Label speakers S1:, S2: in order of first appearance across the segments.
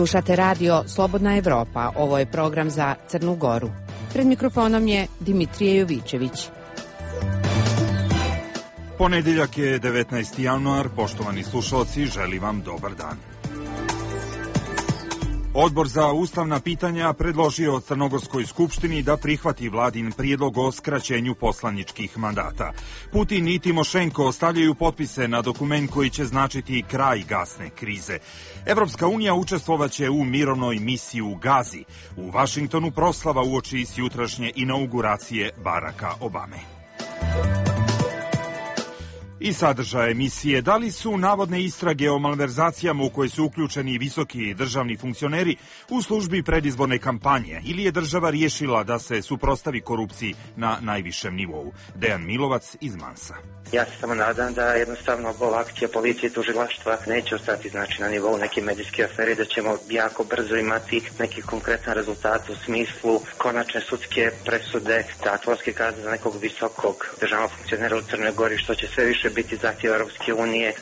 S1: Slušate radio Slobodna Evropa. Ovo je program za Crnu Goru. Pred mikrofonom je Dimitrije Jovićević.
S2: Ponedjeljak je 19. januar. Poštovani slušalci, želim vam dobar dan. Odbor za ustavna pitanja predložio Crnogorskoj skupštini da prihvati vladin prijedlog o skraćenju poslaničkih mandata. Putin i Timošenko ostavljaju potpise na dokument koji će značiti kraj gasne krize. Evropska unija učestvovaće u mirovnoj misiji u Gazi. U Vašingtonu proslava uoči jutrašnje inauguracije Baracka Obame. I sadržaj emisije: da li su navodne istrage o malverzacijama u koje su uključeni visoki državni funkcioneri u službi predizborne kampanje, ili je država riješila da se suprotstavi korupciji na najvišem nivou? Dejan Milovac iz Mansa.
S3: Ja se samo nadam da jednostavno ova akcija policije i tužilaštva neće ostati na nivou neke medijske afere, da ćemo jako brzo imati neki konkretan rezultat u smislu konačne sudske presude, zatvorske kazne za nekog visokog državnog funkcionera u Crnoj Gori, što će sve više biti zahtjev Europske unije.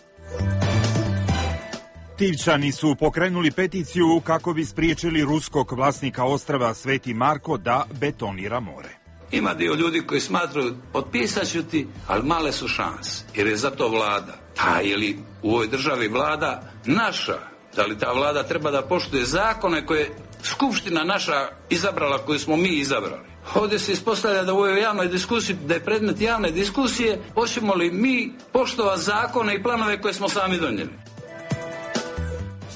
S2: Tivčani su pokrenuli peticiju kako bi spriječili ruskog vlasnika ostrva Sveti Marko da betonira more.
S4: Ima dio ljudi koji smatraju potpisat ću ti, ali male su šanse, jer je za to vlada. A je li u ovoj državi vlada naša? Da li ta vlada treba da poštuje zakone koje je skupština naša izabrala, koju smo mi izabrali? Ovdje se ispostavlja da u ovoj javnoj diskusiji, da je predmet javne diskusije, hoćemo li mi poštovati zakone i planove koje smo sami donijeli.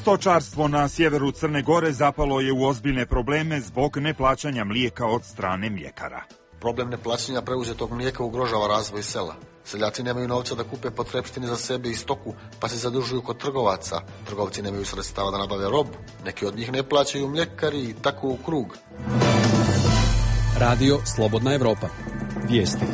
S2: Stočarstvo na sjeveru Crne Gore zapalo je u ozbiljne probleme zbog neplaćanja mlijeka od strane mljekara.
S5: Problem neplaćanja preuzetog mlijeka ugrožava razvoj sela. Seljaci nemaju novca da kupe potrepštine za sebe i stoku, pa se zadužuju kod trgovaca. Trgovci nemaju sredstava da nabave robu. Neki od njih ne plaćaju mljekari i tako u krug.
S6: Radio Slobodna Evropa. Vijesti.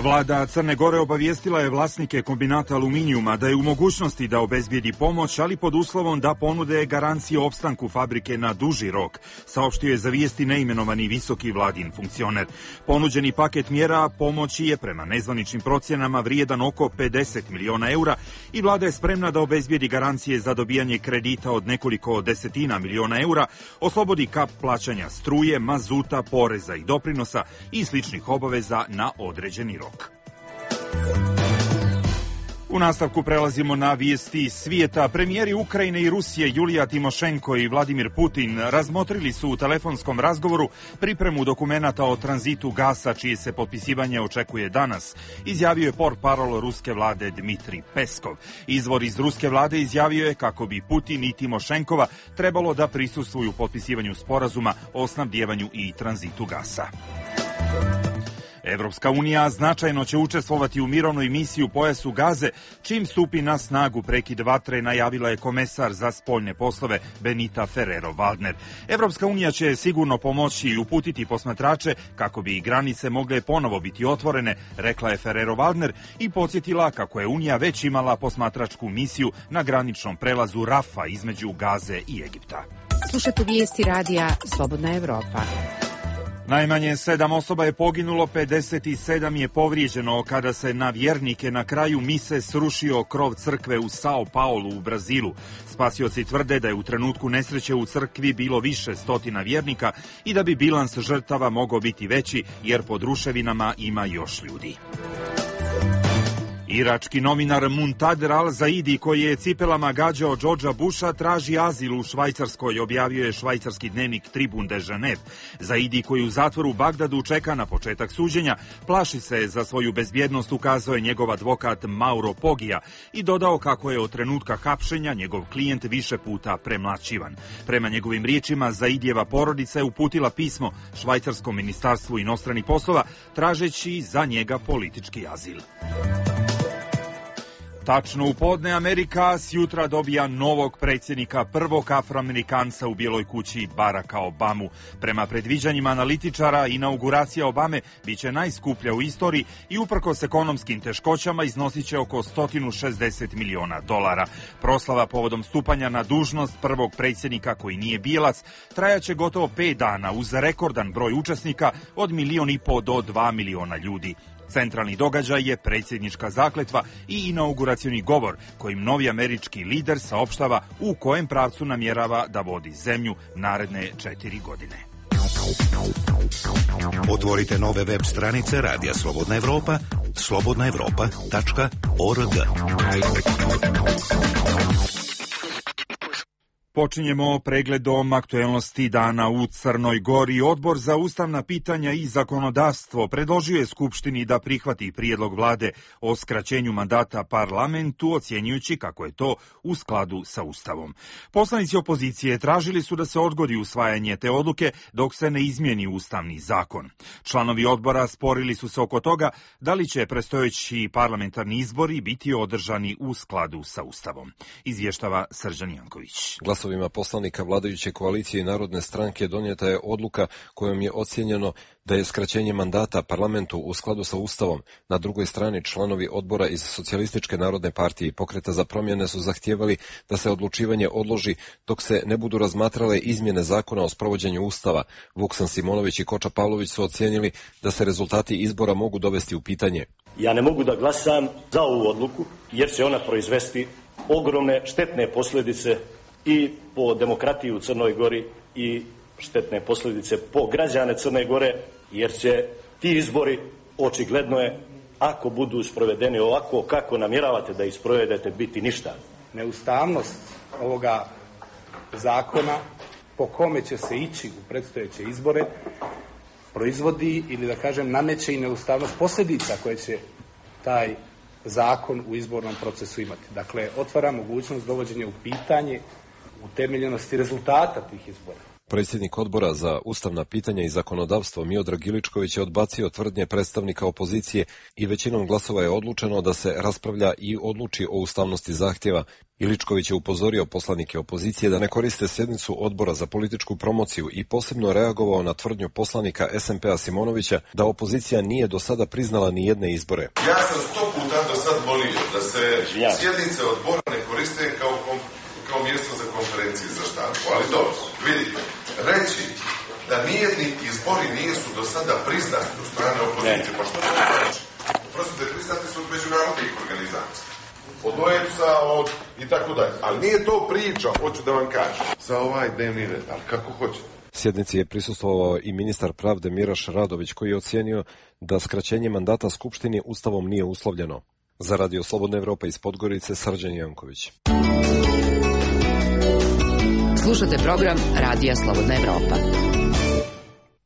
S2: Vlada Crne Gore obavijestila je vlasnike kombinata aluminijuma da je u mogućnosti da obezbijedi pomoć, ali pod uslovom da ponude garancije opstanku fabrike na duži rok, saopštio je za vijesti neimenovani visoki vladin funkcioner. Ponuđeni paket mjera pomoći je prema nezvaničnim procjenama vrijedan oko 50 miliona eura i vlada je spremna da obezbijedi garancije za dobijanje kredita od nekoliko desetina miliona eura, oslobodi kap plaćanja struje, mazuta, poreza i doprinosa i sličnih obaveza na određeni rok. U nastavku prelazimo na vijesti svijeta. Premijeri Ukrajine i Rusije Julija Timošenko i Vladimir Putin razmotrili su u telefonskom razgovoru pripremu dokumenata o tranzitu gasa, čije se potpisivanje očekuje danas, izjavio je portparol ruske vlade Dmitrij Peskov. Izvor iz ruske vlade izjavio je kako bi Putin i Timošenkova trebalo da prisustvuju potpisivanju sporazuma o snabdijevanju i tranzitu gasa. Evropska unija značajno će učestvovati u mirovnoj misiji u pojasu Gaze, čim stupi na snagu prekid vatre, najavila je komesar za spoljne poslove Benita Ferrero-Waldner. Evropska unija će sigurno pomoći i uputiti posmatrače kako bi granice mogle ponovo biti otvorene, rekla je Ferrero-Waldner i podsjetila kako je Unija već imala posmatračku misiju na graničnom prelazu Rafa između Gaze i Egipta.
S1: Slušate vijesti radija Slobodna Evropa.
S2: Najmanje 7 osoba je poginulo, 57 je povrijeđeno kada se na vjernike na kraju mise srušio krov crkve u São Paulo u Brazilu. Spasioci tvrde da je u trenutku nesreće u crkvi bilo više stotina vjernika i da bi bilans žrtava mogao biti veći jer pod ruševinama ima još ljudi. Irački novinar Muntader al-Zaidi, koji je cipelama gađao Georgea Busha, traži azil u Švajcarskoj, objavio je švajcarski dnevnik Tribune de Genève. Zaidi, koji u zatvoru u Bagdadu čeka na početak suđenja, plaši se za svoju bezbjednost, ukazao je njegov advokat Mauro Poggia i dodao kako je od trenutka hapšenja njegov klijent više puta premlaćivan. Prema njegovim riječima, Zaidijeva porodica je uputila pismo Švajcarskom ministarstvu inostranih poslova tražeći za njega politički azil. Tačno u podne Amerika sjutra dobija novog predsjednika, prvog Afroamerikanca u Bijeloj kući, Baracka Obamu. Prema predviđanjima analitičara, inauguracija Obame biće najskuplja u istoriji i uprkos ekonomskim teškoćama iznosit će oko $160 miliona. Proslava povodom stupanja na dužnost prvog predsjednika koji nije bijelac trajaće gotovo 5 dana uz rekordan broj učesnika od 1,5 do 2 miliona ljudi. Centralni događaj je predsjednička zakletva i inauguracioni govor kojim novi američki lider saopštava u kojem pravcu namjerava da vodi zemlju naredne 4 godine.
S7: Otvorite nove web stranice Radija Slobodna Evropa, slobodnaevropa.org.
S2: Počinjemo pregledom aktuelnosti dana u Crnoj Gori. Odbor za ustavna pitanja i zakonodavstvo predložio je Skupštini da prihvati prijedlog vlade o skraćenju mandata parlamentu, ocjenjujući kako je to u skladu sa Ustavom. Poslanici opozicije tražili su da se odgodi usvajanje te odluke dok se ne izmijeni ustavni zakon. Članovi odbora sporili su se oko toga da li će predstojeći parlamentarni izbori biti održani u skladu sa Ustavom. Izvještava Srđan Janković.
S6: Glasovima poslanika vladajuće koalicije i Narodne stranke donijeta je odluka kojom je ocijenjeno da je skraćenje mandata parlamentu u skladu sa Ustavom. Na drugoj strani članovi odbora iz Socijalističke narodne partije i Pokreta za promjene su zahtijevali da se odlučivanje odloži dok se ne budu razmatrale izmjene zakona o sprovođenju Ustava. Vuksan Simonović i Koča Pavlović su ocijenili da se rezultati izbora mogu dovesti u pitanje.
S8: Ja ne mogu da glasam za ovu odluku jer će ona proizvesti ogromne štetne posljedice i po demokratiju u Crnoj Gori i štetne posljedice po građane Crne Gore, jer će ti izbori, očigledno je, ako budu sprovedeni ovako kako namjeravate da ih sprovedete, biti ništa.
S9: Neustavnost ovoga zakona po kome će se ići u predstojeće izbore proizvodi ili da kažem nameće i neustavnost posljedica koje će taj zakon u izbornom procesu imati. Dakle, otvara mogućnost dovođenja u pitanje utemeljenosti rezultata tih izbora.
S6: Predsjednik odbora za ustavna pitanja i zakonodavstvo Miodrag Iličković je odbacio tvrdnje predstavnika opozicije i većinom glasova je odlučeno da se raspravlja i odluči o ustavnosti zahtjeva. Iličković je upozorio poslanike opozicije da ne koriste sjednicu odbora za političku promociju i posebno reagovao na tvrdnju poslanika SMP-a Simonovića da opozicija nije do sada priznala ni jedne izbore.
S10: Ja sam 100 puta do sad molio da se sjednice odbora ne koriste kao mjesto za konferencije za štampu, ali dobro, vidite, reći da nijedni izbori nisu do sada priznati od strane opozicije, pa što to znači? Prostite, priznati su od međunarodnih organizacija, od OEBS-a, i tako dalje, ali nije to priča, hoću da vam kažem, za ovaj dnevni red, ali kako hoćete.
S6: Sjednici je prisustvovao i ministar pravde Miraš Radović koji je ocijenio da skraćenje mandata Skupštini Ustavom nije uslovljeno. Za Radio Slobodna Evropa iz Podgorice, Srđan Janković.
S1: Slušate program Radija Slobodna Evropa.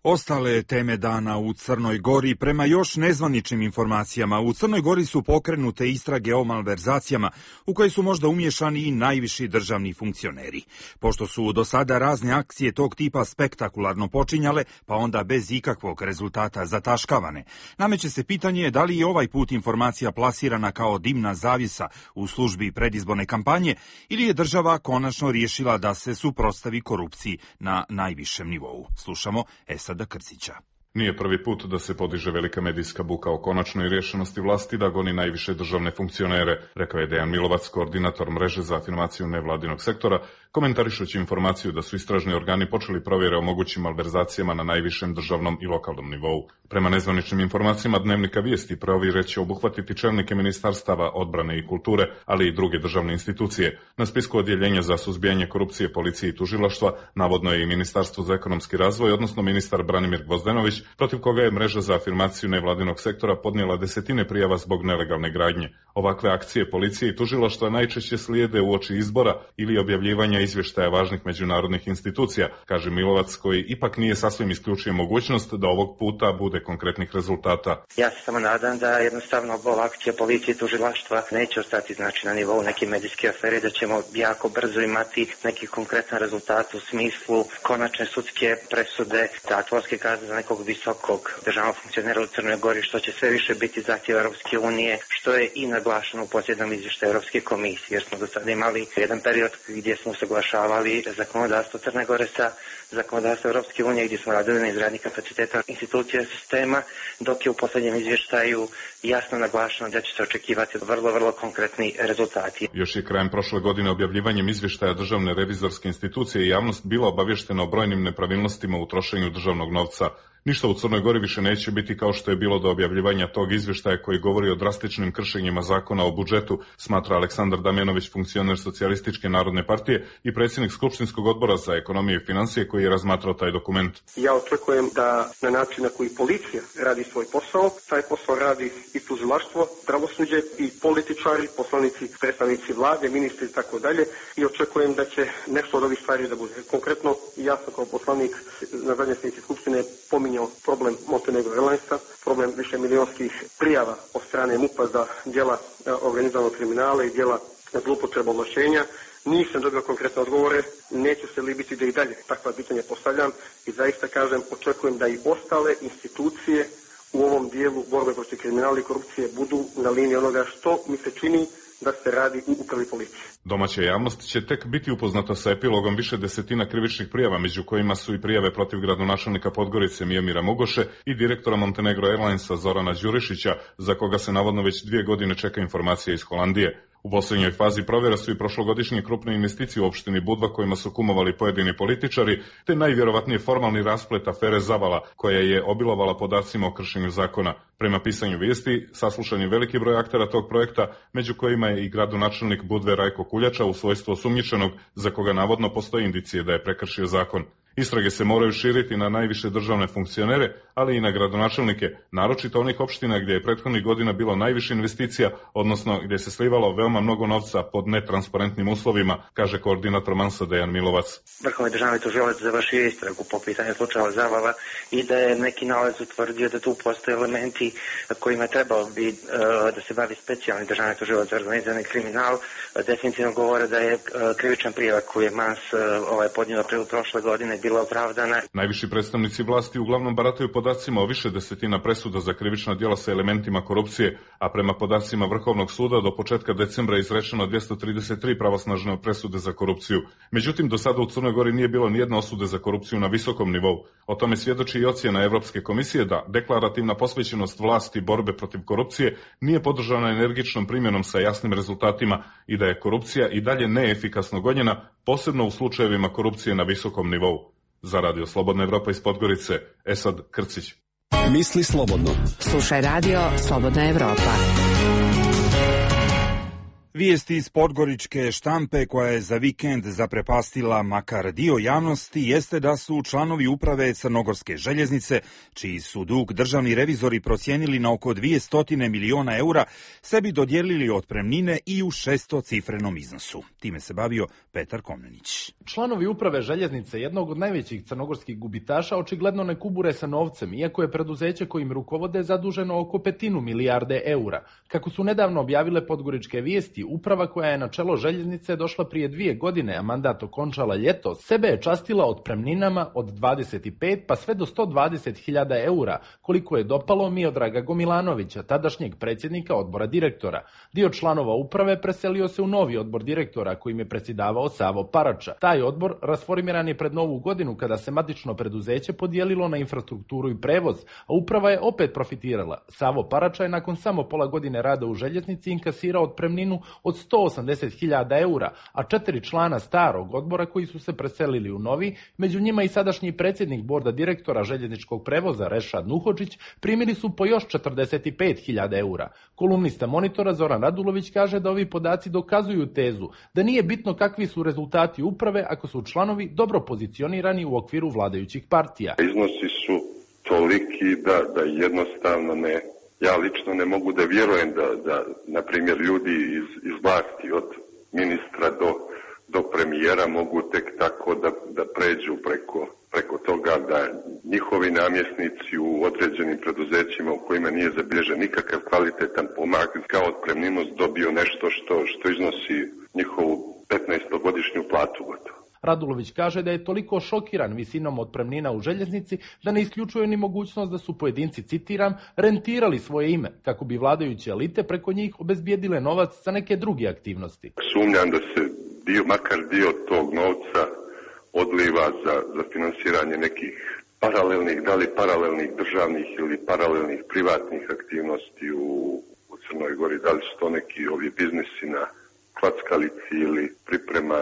S2: Ostale teme dana u Crnoj Gori. Prema još nezvaničnim informacijama, u Crnoj Gori su pokrenute istrage o malverzacijama u koje su možda umješani i najviši državni funkcioneri. Pošto su do sada razne akcije tog tipa spektakularno počinjale, pa onda bez ikakvog rezultata zataškavane, nameće se pitanje da li je ovaj put informacija plasirana kao dimna zavjesa u službi predizborne kampanje ili je država konačno riješila da se suprotstavi korupciji na najvišem nivou. Slušamo Esada Krzića.
S11: Nije prvi put da se podiže velika medijska buka o konačnoj rješenosti vlasti da goni najviše državne funkcionere, rekao je Dejan Milovac, koordinator mreže za afirmaciju nevladinog sektora, komentarišući informaciju da su istražni organi počeli provjere o mogućim malverzacijama na najvišem državnom i lokalnom nivou. Prema nezvaničnim informacijama Dnevnika Vijesti, provjere će obuhvatiti čelnike ministarstava odbrane i kulture, ali i druge državne institucije. Na spisku odjeljenja za suzbijanje korupcije, policije i tužilaštva navodno je i Ministarstvo za ekonomski razvoj, odnosno ministar Branimir Gvozdenović, protiv koga je mreža za afirmaciju nevladinog sektora podnijela desetine prijava zbog nelegalne gradnje. Ovakve akcije policije i tužilaštva najčešće slijede uoči izbora ili objavljivanja izvještaja važnih međunarodnih institucija, kaže Milovac, koji ipak nije sasvim isključio mogućnost da ovog puta bude konkretnih rezultata.
S3: Ja se samo nadam da jednostavno ova akcija policije i tužilaštva neće ostati na nivou neke medijske afere, da ćemo jako brzo imati neki konkretan rezultat u smislu konačne sudske presude, zatvorske kazne za nekog visokog državnog funkcionera u Crnoj Gori, što će sve više biti zahtjev Europske unije, što je i naglašeno u posljednom izvještaju Europske komisije, jer smo do sada imali jedan period gdje smo usaglašavali zakonodavstvo Crne Gore sa zakonodavstvo Europske unije, gdje smo radili na izgradnji kapaciteta institucija sistema, dok je u posljednjem izvještaju jasno naglašeno da će se očekivati vrlo konkretni rezultati.
S11: Još je krajem prošle godine objavljivanjem izvještaja Državne revizorske institucije i javnost bila obavještena o brojnim nepravilnostima u trošenju državnog novca. Ništa u Crnoj Gori više neće biti kao što je bilo do objavljivanja tog izvještaja koji govori o drastičnim kršenjima zakona o budžetu, smatra Aleksandar Damjanović, funkcioner Socijalističke narodne partije i predsjednik Skupštinskog odbora za ekonomiju i financije koji je razmatrao taj dokument.
S12: Ja očekujem da na način na koji policija radi svoj posao, taj posao radi i tužilaštvo, pravosuđe i političari, poslanici, predstavnici vlade, ministri i tako dalje, i očekujem da će nešto od ovih stvari da bude. Konkretno, ja sam kao poslanik na zadnjoj sjednici Skupštine pominjao problem Montenegro Airlinesa, problem višemilionskih prijava od strane MUP-a za djela organizovanog kriminala i djela zloupotreba ovlašćenja. Nisam dobio konkretne odgovore, neću se libiti da i dalje takva pitanja postavljam i zaista kažem, očekujem da i ostale institucije u ovom dijelu borbe protiv kriminala i korupcije budu na liniji onoga što mi se čini da se radi u upravi policije.
S11: Domaća javnost će tek biti upoznata sa epilogom više desetina krivičnih prijava, među kojima su i prijave protiv gradonačelnika Podgorice Mijomira Mugoše i direktora Montenegro Airlinesa Zorana Đurišića, za koga se navodno već 2 godine čeka informacija iz Holandije. U posljednjoj fazi provjera su i prošlogodišnje krupne investicije u opštini Budva kojima su kumovali pojedini političari, te najvjerovatnije formalni rasplet afere Zavala koja je obilovala podacima o kršenju zakona. Prema pisanju vijesti, saslušan je veliki broj aktera tog projekta, među kojima je i gradonačelnik Budve Rajko Kuljača u svojstvu osumnjičenog, za koga navodno postoji indicije da je prekršio zakon. Istrage se moraju širiti na najviše državne funkcionere, ali i na gradonačelnike, naročito onih opština gdje je prethodnih godina bilo najviše investicija, odnosno gdje se slivalo veoma mnogo novca pod netransparentnim uslovima, kaže koordinator Mansa Dejan Milovac.
S3: Vrhovni državni tužilac završio istragu po pitanju slučaja Zavala i da je neki nalaz utvrdio da tu postoje elementi kojima je trebao bi da se bavi specijalni državni tužilac za organizirani kriminal. Definitivno govore da je krivična prijava koju je Mans podnio u aprilu prošle godine bila opravdana.
S11: Najviši predstavnici vlasti uglavnom barataju podacima o više desetina presuda za krivična djela sa elementima korupcije, a prema podacima Vrhovnog suda do početka decembra je izrečeno 233 pravosnažne presude za korupciju. Međutim, do sada u Crnoj Gori nije bilo nijedne osude za korupciju na visokom nivou. O tome svjedoči i ocjena Evropske komisije da deklarativna posvećenost vlasti borbe protiv korupcije nije podržana energičnom primjenom sa jasnim rezultatima i da je korupcija i dalje neefikasno gonjena, posebno u slučajevima korupcije na visokom nivou. Za Radio Slobodna Evropa iz Podgorice, Esad Krcić.
S13: Misli slobodno.
S1: Slušaj Radio Slobodna Evropa.
S2: Vijesti iz podgoričke štampe koja je za vikend zaprepastila makar dio javnosti jeste da su članovi uprave Crnogorske željeznice, čiji su dug državni revizori procijenili na oko 200 miliona eura, sebi dodijelili otpremnine i u 600-cifrenom iznosu. Time se bavio Petar Komnenić.
S14: Članovi uprave željeznice, jednog od najvećih crnogorskih gubitaša, očigledno ne kubure sa novcem, iako je preduzeće kojim rukovode zaduženo oko 500 milijarde eura. Kako su nedavno objavile podgoričke vijesti, uprava koja je na čelo željeznice došla prije 2 godine, a mandat okončala ljeto, sebe je častila otpremninama od 25 pa sve do 120.000 eura, koliko je dopalo Miodraga Gomilanovića, tadašnjeg predsjednika odbora direktora. Dio članova uprave preselio se u novi odbor direktora, kojim je predsjedavao Savo Parača. Taj odbor rasformiran je pred Novu godinu, kada se matično preduzeće podijelilo na infrastrukturu i prevoz, a uprava je opet profitirala. Savo Parača je nakon samo pola godine rada u željeznici inkasirao otpremninu od 180.000 eura, a 4 člana starog odbora koji su se preselili u novi, među njima i sadašnji predsjednik borda direktora željezničkog prevoza Rešad Nuhodžić, primili su po još 45.000 eura. Kolumnista Monitora Zoran Radulović kaže da ovi podaci dokazuju tezu da nije bitno kakvi su rezultati uprave ako su članovi dobro pozicionirani u okviru vladajućih partija.
S15: Iznosi su toliki da jednostavno ne... Ja lično ne mogu da vjerujem da na primjer, ljudi iz vlasti od ministra do premijera mogu tek tako da pređu preko toga da njihovi namjesnici u određenim preduzećima u kojima nije zabilježen nikakav kvalitetan pomak kao otpremninu dobiju nešto što iznosi njihovu 15-godišnju platu gotovo.
S14: Radulović kaže da je toliko šokiran visinom otpremnina u željeznici da ne isključuje ni mogućnost da su pojedinci, citiram, rentirali svoje ime, kako bi vladajuće elite preko njih obezbijedile novac za neke druge aktivnosti.
S15: Sumnjam da se makar dio tog novca odliva za finansiranje nekih paralelnih državnih ili paralelnih privatnih aktivnosti u Crnoj Gori. Da li su to neki ovi biznisi na klackalici ili priprema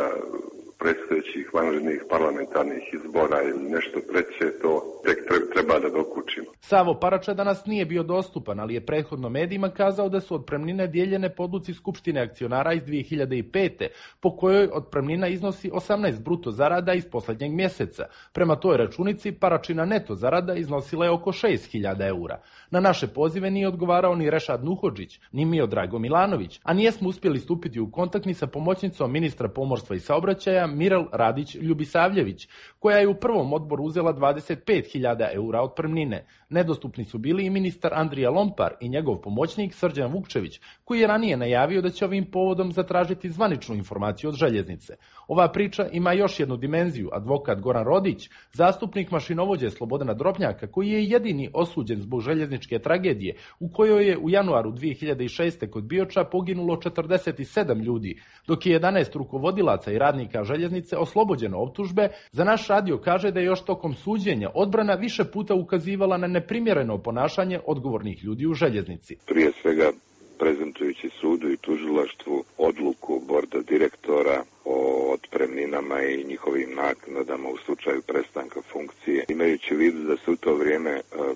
S15: predstojećih vanrednih parlamentarnih izbora ili nešto treće, to tek treba da dokučimo.
S14: Savo Parača danas nije bio dostupan, ali je prethodno medijima kazao da su otpremnine dijeljene po odluci Skupštine akcionara iz 2005. po kojoj otpremnina iznosi 18 bruto zarada iz posljednjeg mjeseca. Prema toj računici Paračina neto zarada iznosila je oko 6.000 eura. Na naše pozive nije odgovarao ni Rešad Nuhodžić, ni Miodrago Milanović, a nijesmo uspjeli stupiti u kontakt ni sa pomoćnicom ministra pomorstva i saobraćaja Mirel Radić-Ljubisavljević, koja je u prvom odboru uzela 25.000 eura otpremnine. Nedostupni su bili i ministar Andrija Lompar i njegov pomoćnik Srđan Vukčević, koji je ranije najavio da će ovim povodom zatražiti zvaničnu informaciju od željeznice. Ova priča ima još jednu dimenziju. Advokat Goran Rodić, zastupnik mašinovođe Slobodana Drobnjaka, koji je jedini osuđen zbog željezničke tragedije, u kojoj je u januaru 2006. kod Bioča poginulo 47 ljudi, dok je 11 rukovodilaca i radnika željeznice oslobođeno optužbe, za naš radio kaže da je još tokom suđenja odbrana više puta ukazivala na neprimjereno ponašanje odgovornih ljudi u željeznici.
S15: Prije svega prezentujući sudu i tužilaštvu odluku borda direktora o otpremninama i njihovim naknadama u slučaju prestanka funkcije, imajući u vidu da se u to vrijeme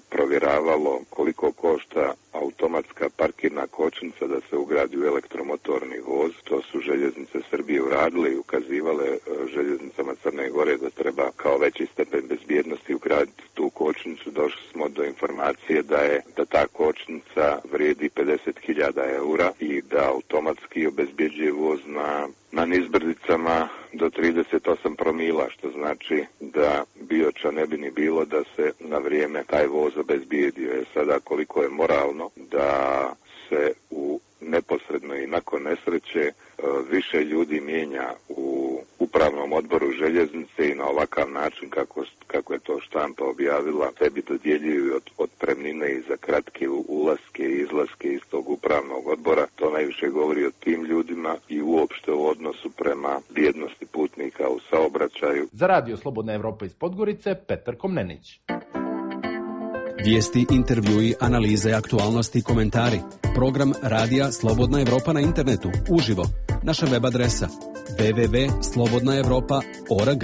S15: provjeravalo koliko košta automatska parkirna kočnica da se ugradi u elektromotorni voz. To su željeznice Srbije uradile i ukazivale željeznicama Crne Gore da treba kao veći stepen bezbjednosti ugraditi tu kočnicu. Došli smo do informacije da ta kočnica vrijedi 50.000 eura i da automatski obezbjeđuje voz na nizbrdicama do 38 promila, što znači da Bioča ne bi ni bilo da se na vrijeme taj voz obezbijedio. Sada koliko je moralno da se u neposredno i nakon nesreće više ljudi mijenja u upravnom odboru željeznice i na ovakav način kako je to štampa objavila, sebi dodjeljuju otpremnine i za kratke ulaske i izlaske iz tog upravnog odbora. To najviše govori o tim ljudima i uopšte u odnosu prema bijednosti putnika u saobraćaju.
S14: Za Radio Slobodna Evropa iz Podgorice, Petar Komnenić.
S13: Vijesti, intervjui, analize, aktualnosti i komentari. Program Radija Slobodna Evropa na internetu, uživo. Naša web adresa www.slobodnaevropa.org.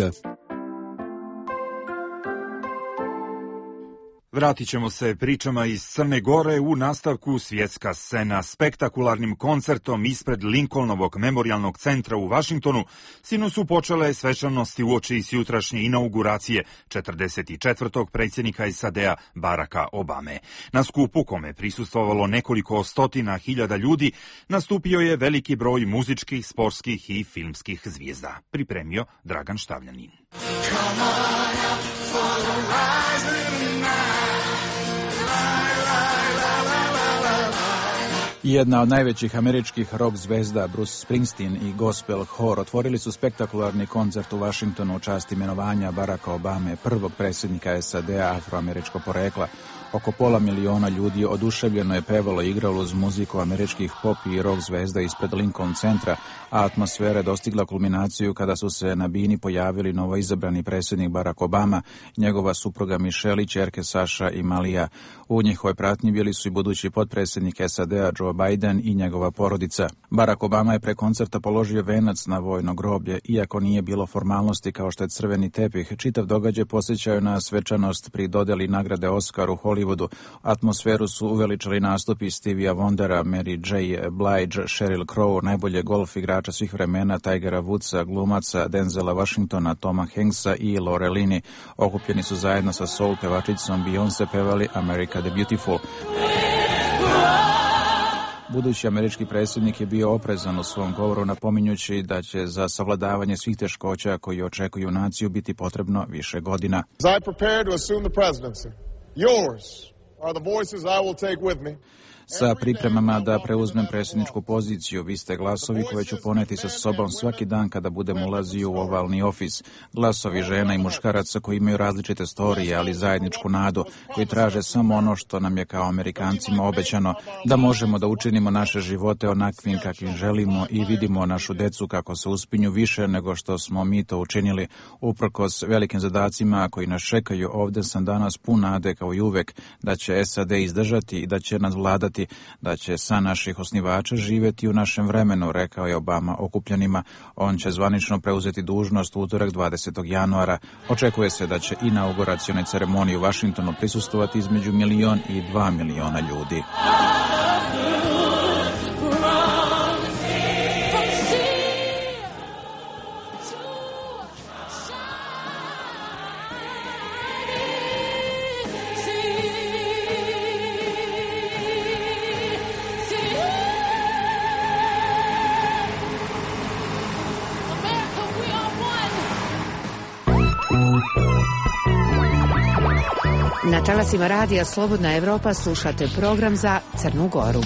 S2: Vratit ćemo se pričama iz Crne Gore u nastavku svjetska scena. Spektakularnim koncertom ispred Lincolnovog memorijalnog centra u Vašingtonu sinoć su počele svečanosti uoči jutrašnje inauguracije 44. predsjednika SAD-a Baracka Obame. Na skupu, kome prisustvovalo nekoliko stotina hiljada ljudi, nastupio je veliki broj muzičkih, sportskih i filmskih zvijezda. Pripremio Dragan Štavljanin.
S16: Jedna od najvećih američkih rock zvezda, Bruce Springsteen i gospel hor, otvorili su spektakularni koncert u Vašingtonu u čast imenovanja Baracka Obame, prvog predsjednika SAD-a afroameričkog porekla. Oko 500.000 ljudi oduševljeno je pevalo i igralo uz muziku američkih pop i rock zvezda ispred Lincoln centra, a atmosfera je dostigla kulminaciju kada su se na bini pojavili novoizabrani predsjednik Barack Obama, njegova supruga Michelle i ćerke Saša i Malija. U njihovoj pratnji bili su i budući potpredsjednik SAD-a Joe Biden i njegova porodica. Barack Obama je pre koncerta položio venac na vojno groblje, iako nije bilo formalnosti kao što je crveni tepih. Čitav događaj podsjećaju na svečanost pri dodjeli nagrade Oscar u Hollywoodu. Atmosferu su uveličali nastupi Stevija Wondera, Mary J. Blige, Sheryl Crow, najbolje golf igrača svih vremena, Tigera Woodsa, glumaca Denzela Washingtona, Toma Hanksa i Lorelini. Okupljeni su zajedno sa soul pevačicom Beyoncé pevali America the Beautiful. Budući američki predsjednik je bio oprezan u svom govoru, napominjući da će za savladavanje svih teškoća koji očekuju naciju biti potrebno više godina.
S17: As I prepare to assume the presidency, yours are the voices I will take with me.
S16: Sa pripremama da preuzmem predsjedničku poziciju, vi ste glasovi koje ću poneti sa sobom svaki dan kada budem ulazio u ovalni ofis. Glasovi žena i muškaraca koji imaju različite storije, ali zajedničku nadu, koji traže samo ono što nam je kao Amerikancima obećano, da možemo da učinimo naše živote onakvim kakvim želimo i vidimo našu decu kako se uspinju više nego što smo mi to učinili. Uprkos velikim zadacima koji nas čekaju, ovdje sam danas pun nade kao i uvek da će SAD izdržati i da će nadvladati pokazati da će san naših osnivača živjeti u našem vremenu, rekao je Obama okupljenima. On će zvanično preuzeti dužnost u utorak 20. januara. Očekuje se da će inauguracione ceremonije u Vašingtonu prisustvovati između 1 i 2 miliona ljudi.
S1: Na talasima radija Slobodna Evropa slušate program za Crnu Goru.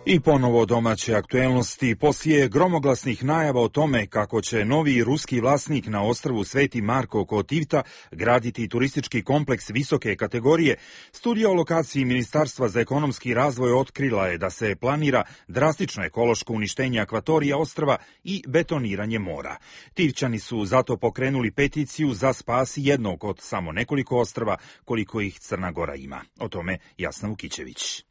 S2: I ponovo domaće aktuelnosti. Poslije gromoglasnih najava o tome kako će novi ruski vlasnik na ostrvu Sveti Marko kod Tivta graditi turistički kompleks visoke kategorije, studija o lokaciji Ministarstva za ekonomski razvoj otkrila je da se planira drastično ekološko uništenje akvatorija ostrva i betoniranje mora. Tivčani su zato pokrenuli peticiju za spas jednog od samo nekoliko ostrva koliko ih Crna Gora ima. O tome Jasna Vukićević.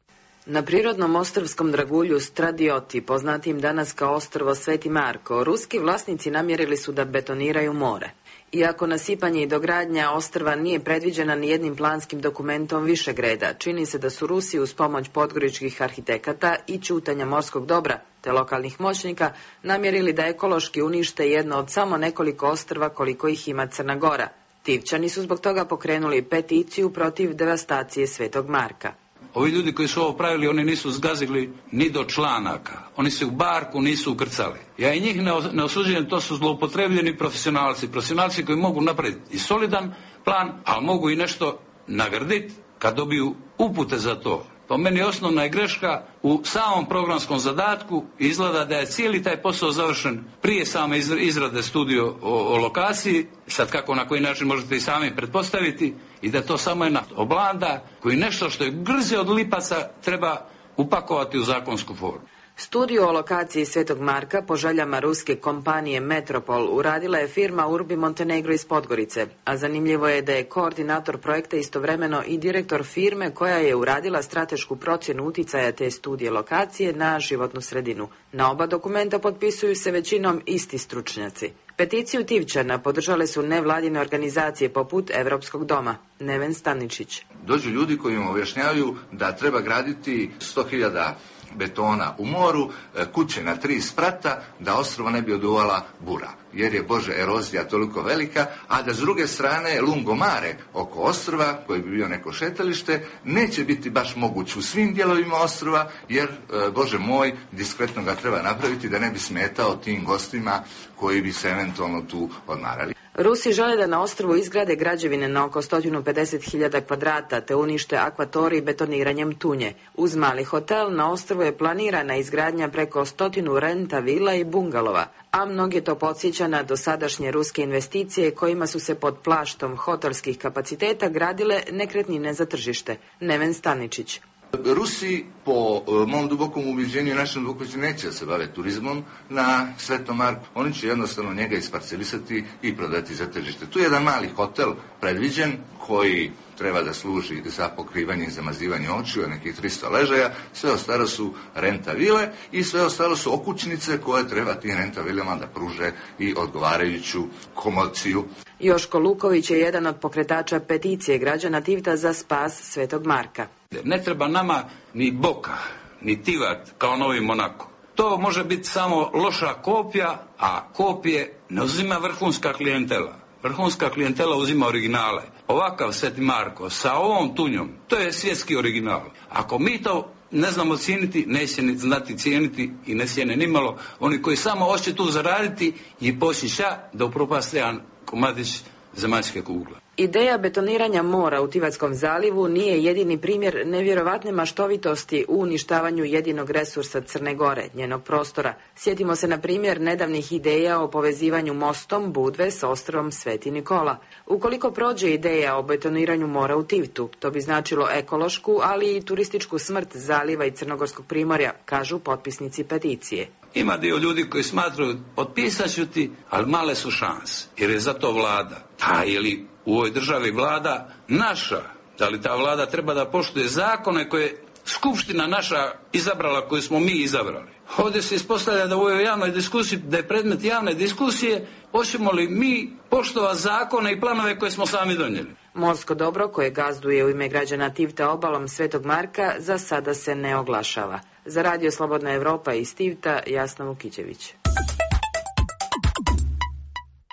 S18: Na prirodnom ostrvskom dragulju Stradioti, poznatim danas kao ostrvo Sveti Marko, ruski vlasnici namjerili su da betoniraju more. Iako nasipanje i dogradnja ostrva nije predviđena ni jednim planskim dokumentom višeg reda, čini se da su Rusi uz pomoć podgoričkih arhitekata i ćutanja morskog dobra te lokalnih moćnika namjerili da ekološki unište jedno od samo nekoliko ostrva koliko ih ima Crna Gora. Tivčani su zbog toga pokrenuli peticiju protiv devastacije Svetog Marka.
S4: Ovi ljudi koji su ovo pravili, oni nisu zgazili ni do članaka. Oni se u barku nisu ukrcali. Ja i njih ne osuđujem, to su zloupotrebljeni profesionalci. Profesionalci koji mogu napraviti i solidan plan, ali mogu i nešto nagraditi kad dobiju upute za to. Po meni osnovna je greška u samom programskom zadatku. Izgleda da je cijeli taj posao završen prije same izrade studije o lokaciji. Sad kako, na koji način možete i sami pretpostaviti, i da to samo jedna oblanda koji nešto što je grze od lipaca treba upakovati u zakonsku formu.
S18: Studiju o lokaciji Svetog Marka po željama ruske kompanije Metropol uradila je firma Urbi Montenegro iz Podgorice, a zanimljivo je da je koordinator projekta istovremeno i direktor firme koja je uradila stratešku procjenu uticaja te studije lokacije na životnu sredinu. Na oba dokumenta potpisuju se većinom isti stručnjaci. Peticiju Tivčana podržale su nevladine organizacije poput Evropskog doma. Neven Staničić.
S19: Dođu ljudi koji im objašnjavaju da treba graditi 100.000 betona u moru, kuće na 3 sprata, da ostrvo ne bi oduvala bura, jer je erozija toliko velika, a da s druge strane lungomare oko ostrva, koji bi bio neko šetalište, neće biti baš moguć u svim dijelovima ostrva, jer, Bože moj, diskretno ga treba napraviti da ne bi smetao tim gostima koji bi se eventualno tu odmarali.
S18: Rusi žele da na ostrvu izgrade građevine na oko 150.000 kvadrata te unište akvatorij betoniranjem tunje. Uz mali hotel na ostrvu je planirana izgradnja preko 100 renta vila i bungalova, a mnoge to podsjeća na dosadašnje ruske investicije kojima su se pod plaštom hotelskih kapaciteta gradile nekretnine za tržište. Neven Staničić.
S19: Rusi, po mom dubokom ubeđenju i našem dubokom neće se bave turizmom na Svetom Marku. Oni će jednostavno njega isparcelisati i prodati za tržište. Tu je jedan mali hotel predviđen koji treba da služi za pokrivanje i zamazivanje očiju, nekih 300 ležaja, sve ostalo su renta vile i sve ostalo su okućnice koje treba tim renta vilama da pruže i odgovarajuću komociju.
S18: Joško Luković je jedan od pokretača peticije građana Tivta za spas Svetog Marka.
S4: Ne treba nama ni Boka, ni Tivat kao novi Monako. To može biti samo loša kopija, a kopije ne uzima vrhunska klijentela. Vrhunska klijentela uzima originale. Ovakav Sveti Marko sa ovom tunjom, to je svjetski original. Ako mi to ne znamo cijeniti, neće ni znati cijeniti i ne cijene nimalo oni koji samo hoće tu zaraditi i postića da upropaste jedan komadić zemaljske kugle.
S18: Ideja betoniranja mora u Tivatskom zalivu nije jedini primjer nevjerovatne maštovitosti u uništavanju jedinog resursa Crne Gore, njenog prostora. Sjetimo se na primjer nedavnih ideja o povezivanju mostom Budve s ostrvom Sveti Nikola. Ukoliko prođe ideja o betoniranju mora u Tivtu, to bi značilo ekološku, ali i turističku smrt zaliva i Crnogorskog primorja, kažu potpisnici peticije.
S4: Ima dio ljudi koji smatraju, potpisat ću ti, ali male su šanse, jer je za to vlada. Je li u ovoj državi vlada naša? Da li ta vlada treba da poštuje zakone koje je skupština naša izabrala, koju smo mi izabrali? Ovdje se ispostavlja da u ovoj javnoj diskusiji, da je predmet javne diskusije, hoćemo li mi poštovati zakone i planove koje smo sami donijeli.
S18: Morsko dobro, koje gazduje u ime građana Tivta obalom Svetog Marka, za sada se ne oglašava. Za Radio Slobodna Evropa iz Tivta, Jasna Vukićević.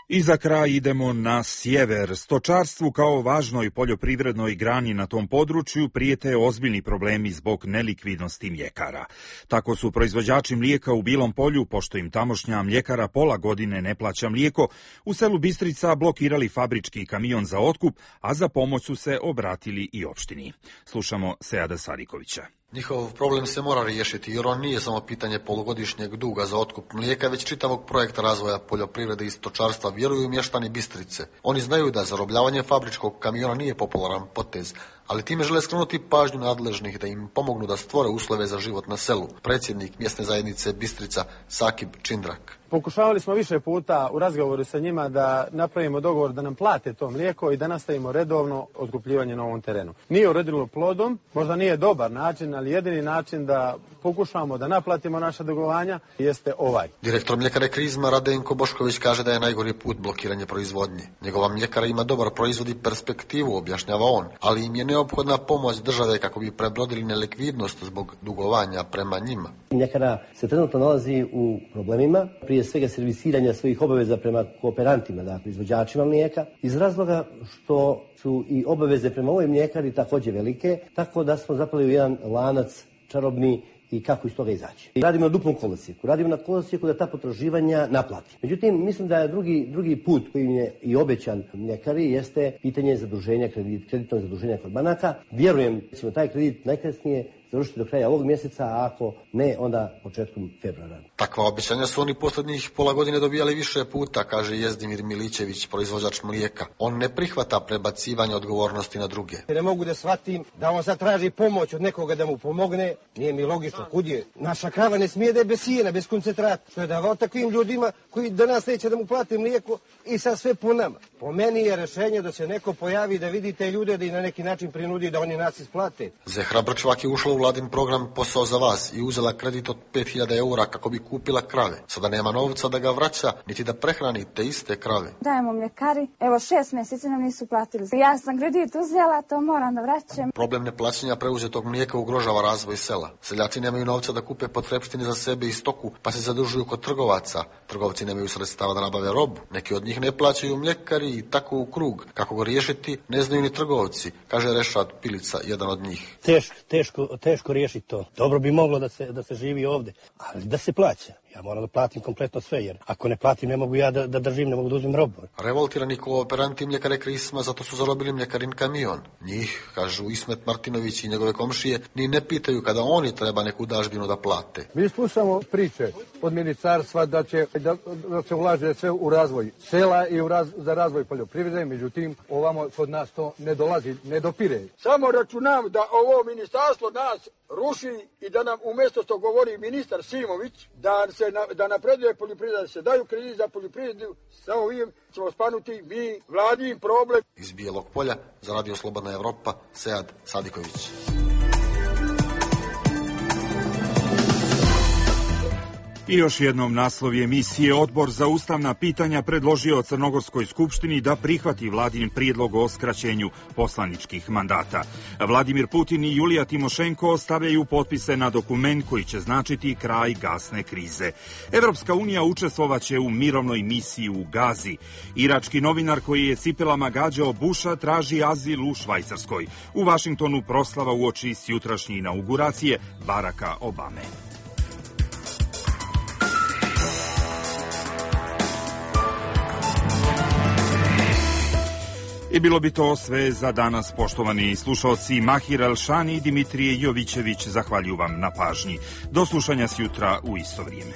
S2: I za kraj idemo na sjever. Stočarstvu kao važnoj poljoprivrednoj grani na tom području prijete ozbiljni problemi zbog nelikvidnosti mljekara. Tako su proizvođači mlijeka u Bilom Polju, pošto im tamošnja mljekara pola godine ne plaća mlijeko, u selu Bistrica blokirali fabrički kamion za otkup, a za pomoć su se obratili i opštini. Slušamo Seada Sadikovića.
S5: Njihov problem se mora riješiti jer on nije samo pitanje polugodišnjeg duga za otkup mlijeka, već čitavog projekta razvoja poljoprivrede i stočarstva, vjeruju mještani Bistrice. Oni znaju da zarobljavanje fabričkog kamiona nije popularan potez, ali time žele skrenuti pažnju nadležnih da im pomognu da stvore uslove za život na selu. Predsjednik mjesne zajednice Bistrica Sakib Čindrak.
S20: Pokušavali smo više puta u razgovoru sa njima da napravimo dogovor da nam plate to mlijeko i da nastavimo redovno otkupljivanje na ovom terenu. Nije urodilo plodom, možda nije dobar način, ali jedini način da pokušamo da naplatimo naša dugovanja jeste ovaj.
S5: Direktor mljekare Krizma Radenko Bošković kaže da je najgori put blokiranje proizvodnje. Njegova mljekara ima dobar proizvod i perspektivu, objašnjava on, ali im je neophodna pomoć države kako bi prebrodili nelikvidnost zbog dugovanja prema njima.
S21: Mljekara se trenutno nalazi u problemima, prije svega servisiranja svojih obaveza prema kooperantima, dakle izvođačima mlijeka, iz razloga što su i obaveze prema ovoj mljekari također velike, tako da smo zapali u jedan lanac čarobni i kako iz toga izaći. Radimo na duplom kolosijeku, radimo na kolosijeku da ta potraživanja naplati. Međutim, mislim da je drugi put koji je i obećan mljekari jeste pitanje zaduženja, kreditnog zaduženja kod banaka. Vjerujem da ćemo taj kredit najkasnije završiti do kraja ovog mjeseca, a ako ne, onda početkom februara.
S5: Takva obećanja su oni posljednjih pola godine dobijali više puta, kaže Jezdimir Milićević, proizvođač mlijeka. On ne prihvata prebacivanje odgovornosti na druge.
S22: Ne mogu da shvatim da on sad traži pomoć od nekoga da mu pomogne. Nije mi logično, kud je. Naša krava ne smije da je bez sijena, bez koncentrata. Što je davao takvim ljudima koji danas neće da mu plate mlijeko i sad sve po nama. Po meni je rešenje da se neko pojavi da vidi te ljude da i na neki način prinudi da oni nas isplate.
S5: Zehra Brčvak je ušla u vladin program Posao za vas i uzela kredit od 5.000 eura kako bi kupila krave. Sada nema novca da ga vraća, niti da prehrani te iste krave.
S23: Dajemo mljekari, evo 6 mjeseci nam nisu platili. Ja sam kredit uzela, to moram da vraćam.
S5: Problem neplaćanja preuzetog mlijeka ugrožava razvoj sela. Seljaci nemaju novca da kupe potrepštine za sebe i stoku, pa se zadužuju kod trgovaca. Trgovci nemaju sredstava da nabave robu. Neki od njih ne plaćaju mljekari i tako u krug. Kako ga riješiti, ne znaju ni trgovci, kaže Rešad Pilica, jedan od njih.
S22: Teško riješiti to. Dobro bi moglo da se živi ovdje, ali da se plaća. Ja moram da platim kompletno sve, jer ako ne platim ne mogu ja da držim, ne mogu da uzmem robu.
S5: Revoltirani kooperanti mljekare Krisma zato su zarobili mljekarin kamion. Njih, kažu Ismet Martinović i njegove komšije, ni ne pitaju kada oni treba neku dažbinu da plate.
S22: Mi slušamo priče od ministarstva da se ulaže sve u razvoj sela i za razvoj poljoprivrede, međutim ovamo kod nas to ne dolazi, ne dopire.
S24: Samo računam da ovo ministarstvo nas ruši i da nam umjesto što govori ministar Simović da napreduje poljoprivreda, da se daju krediti za poljoprivredu, sa ovim ćemo spanuti mi vladin problem.
S5: Iz Bijelog Polja za Radio Slobodna Evropa, Sead Sadiković.
S2: I još jednom naslov emisije. Odbor za ustavna pitanja predložio Crnogorskoj skupštini da prihvati vladin prijedlog o skraćenju poslaničkih mandata. Vladimir Putin i Julija Timošenko stavljaju potpise na dokument koji će značiti kraj gasne krize. Evropska unija učestvovaće u mirovnoj misiji u Gazi. Irački novinar koji je cipelama gađao Busha traži azil u Švajcarskoj. U Vašingtonu proslava uoči jutrašnje inauguracije Baracka Obame. I bilo bi to sve za danas, poštovani slušalci. Mahir Elšani i Dimitrije Jovićević zahvaljuju vam na pažnji. Do slušanja sjutra u isto vrijeme.